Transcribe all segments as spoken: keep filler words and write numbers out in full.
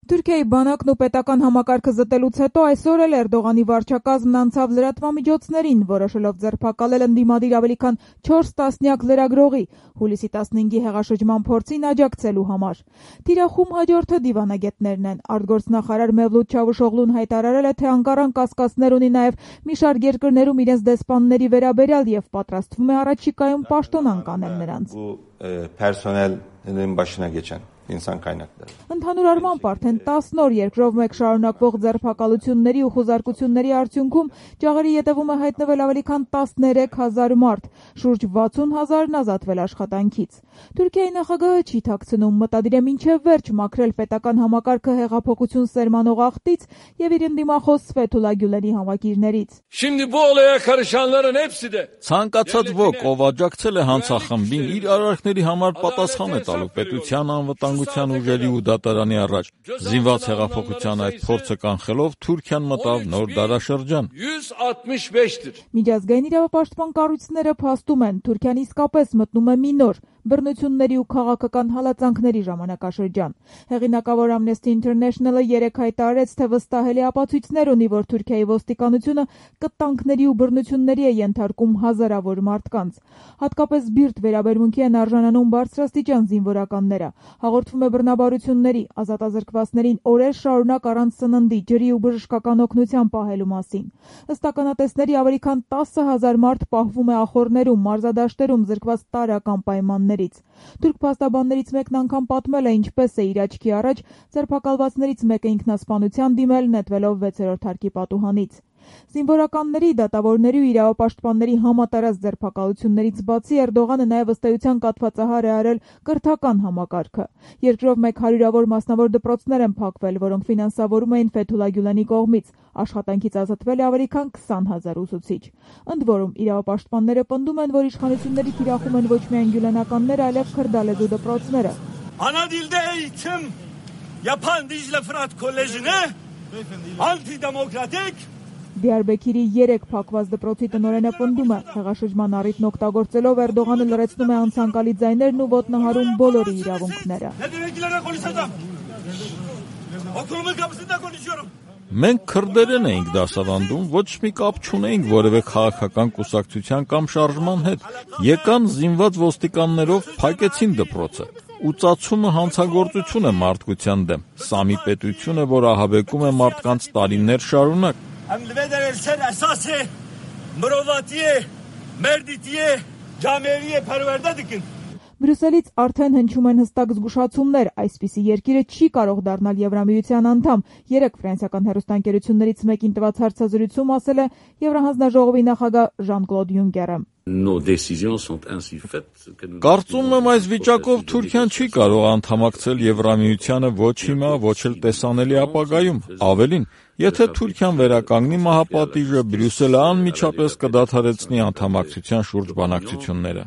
Թուրքիայի բանակն ու պետական համակարգը զտելուց հետո այսօր էլ Էրդողանի վարչակազմն անցավ լրատվամիջոցներին, որոշելով ձերբակալել ընդդիմադիր ավելի քան չորս տասնյակ լրագրողի հուլիսի տասնհինգի հեղաշրջման փորձին աջակցելու համար։ Թիրախում հաջորդը դիվանագետներն են։ Արտգործնախարար Մևլութ Չավուշօղլուն հայտարարել է, թե Անկարան կասկածներ ունի նաև մի շարք երկրներում իրենց դեսպանների վերաբերյալ եւ պատրաստվում է առաջիկայում պաշտոնանկ անել նրանց։ Personelin başına geçen insan kaynakları. Ընդհանուր առմամբ արդեն տասն օր երկրով մեկ շարունակվող ձերբակալությունների ու խուզարկությունների արդյունքում ջաղերի ետևում է հայտնվել ավելի քան տասներեք հազար մարդ, շուրջ վաթսուն հազարն ազատվել աշխատանքից։ Թուրքիայի նախագահը չի թաքցնում, մտադիր է մինչև վերջ մաքրել պետական համակարգը հեղափոխություն սերմանող աղտից եւ իր ընդդիմախոս Ֆեթուլա Գյուլենի համակիրներից։ Ցանկացած ոք, ով աջակցել է հանցախմբին, իր արարքների համար պատասխան է տալու պետության անվտանգության ուժերի ու դատարանի առաջ։ Զինված հեղափոխության այդ փորձը կանխելով Թուրքիան մտավ նոր դարաշրջան։ Միջազգային իրավապաշտպան կառույցները փաստում են, Թուրքիան իսկապես մտնում է մի նոր բռնությունների ու քաղաքական հալածանքների ժամանակաշրջան։ Հեղինակավոր Amnesty International-ը երեկ հայտարարեց, թե վստահելի ապացույցներ ունի, որ Թուրքիայի ոստիկանությունը կտանքների ու բռնությունների է ենթարկում հազարավոր մարդկանց։ Հատկապես բիրտ վերաբերմունքի են արժանանում բարձրաստիճան զինվորականները։ Հաղորդվում է բռնաբարությունների, ազատազրկվածներին օրեր շարունակ առանց սննդի, ջրի ու բժշկական օգնության պահելու մասին։ Ըստ ականատեսների ավելի քան տասը հազար մարդ պահվում է ախոռներում, մարզադաշտերում, զրկված տարրական պայմաններից։ Թուրք փաստաբաններից մեկն անգամ պատմել է, ինչպես է իր աչքի առաջ ձերբակալվածներից մեկը ինքնասպանության դիմել, նետվելով վեցերորդ հարկի պատուհանից։ Զինվորականների, դատավորների ու իրավապաշտպանների համատարած ձերբակալություններից բացի Էրդողանը նաև ըստ էության կաթվածահար է արել կրթական համակարգը։ Երկրով մեկ հարյուրավոր մասնավոր դպրոցներ են փակվել, որոնք ֆինանսավորում էին Ֆեթուլա Գյուլենի կողմից։ Աշխատանքից ազատվել է ավելի քան քսան հազար ուսուցիչ։ Ընդ որում, իրավապաշտպանները պնդում են, որ իշխանությունների թիրախում են ոչ միայն գյուլենականները, այլև քրդալեզու դպրոցները։ Անադիլդե էյթիմ Yapan Dicle Fırat Koleji'ne antidemokratik Դիարբեքիրի երեք փակված դպրոցի տնօրենը պնդում է, հեղաշրջման առիթն օգտագործելով Էրդողանը լրացնում է անցանկալի ձայներն ու ոտնահարում բոլորի իրավունքները։ Մենք քրդերեն էինք դասավանդում, ոչ մի կապ չունեինք որևէ քաղաքական կուսակցության կամ շարժման հետ։ Եկան զինված ոստիկաններով, փակեցին դպրոցը։ Ու ծածումը հանցագործություն է մարդկության դեմ։ Սա մի պետություն է, որ ահաբեկում է մարդկանց տարիներ շարունակ։ Բրյուսելից արդեն հնչում են հստակ զգուշացումներ, այսպիսի երկիրը չի կարող դառնալ Եվրամիության անդամ։ Երեկ ֆրանսիական հեռուստաընկերություններից մեկին տված հարցազրույցում ասել է Եվրահանձնաժողովի նախագահ Ժան-Կլոդ Յունկերը։ Կարծում եմ այս վիճակով Թուրքիան չի կարող անդամակցել Եվրամիությանը ոչ հիմա, ոչ էլ տեսանելի ապագայում։ Ավելին, եթե Թուրքիան վերականգնի մահապատիժը, Բրյուսելը անմիջապես կդադարեցնի անդամակցության շուրջ բանակցությունները։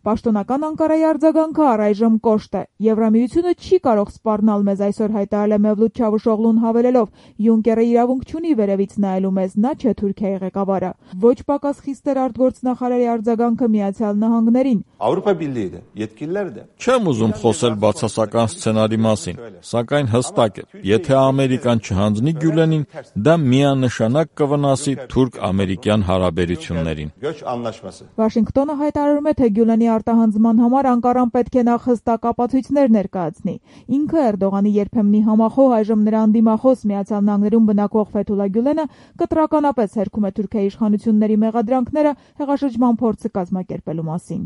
Պաշտոնական Անկարայի արձագանքը առայժմ կոշտ է։ Եվրամիությունը չի կարող սպառնալ մեզ, այսօր հայտարարել է Մևլութ Չավուշօղլուն հավելելով. Յունկերը իրավունք չունի վերևից նայելու մեզ, նա չէ Թուրքիայի ղեկավարը։ Ոչ պակաս խիստ էր արտգործնախարարի արձագանքը Միացյալ Նահանգներին։ Avrupa Birliği de, yetkililer de. Չեմ ուզում խոսել բացասական սցենարի մասին, սակայն հստակ է, եթե Ամերիկան չհանձնի Գյուլենին, դա միանշանակ կվնասի թուրք-ամերիկյան հարաբերություններին։ Վաշինգտոնը հայտարարում է, թե Գյուլենի արտահանձնման համար Անկարան պետք է նախ հստակ ապացույցներ ներկայացնի։ Ինքը Էրդողանի երբեմնի համախոհ, այժմ նրա անդիմախոս Միացյալ Նահանգներում բնակվող Ֆեթուլա Գյուլենը կտրականապես հերքում է Թուրքիայի իշխանությունների մեղադրանքները հեղաշրջման փորձը կազմակերպելու մասին։